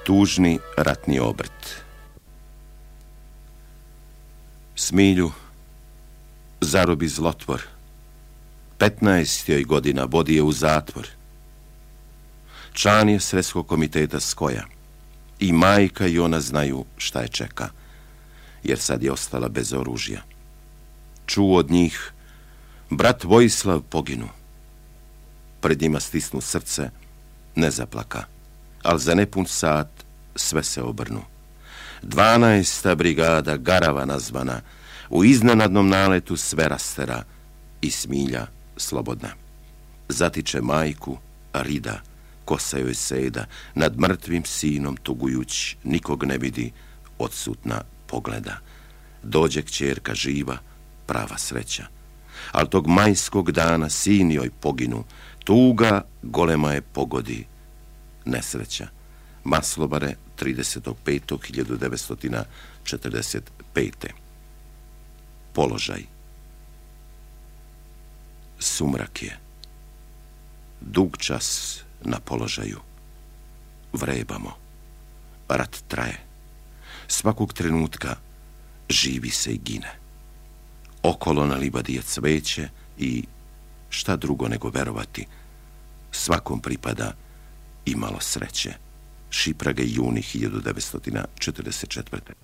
Tužni ratni obrt. Smilju zarobi zlotvor. 15 joj godina vodi je u zatvor. Član je Sredskog komiteta Skoja. I majka i ona znaju šta je čeka, jer sad je ostala bez oružja. Čuo od njih, brat Vojislav poginu. Pred njima stisnu srce, ne zaplaka, al za nepun sat sve se obrnu. 12. brigada, Garava nazvana, u iznenadnom naletu sve rastera i Smilja slobodna. Zatiče majku, rida, kosa joj seda, nad mrtvim sinom tugujuć, nikog ne vidi, odsutna pogleda. Dođe kćerka živa, prava sreća. Al tog majskog dana sin joj poginu, tuga golema je pogodi, nesreća. Maslobare, 30.5.1945. Položaj. Sumrak je. Dug čas na položaju. Vrebamo. Rat traje. Svakog trenutka živi se i gine. Okolo na livadi je cveće i, šta drugo nego verovati, svakom pripada i malo sreće. Šiprage, juni 1944.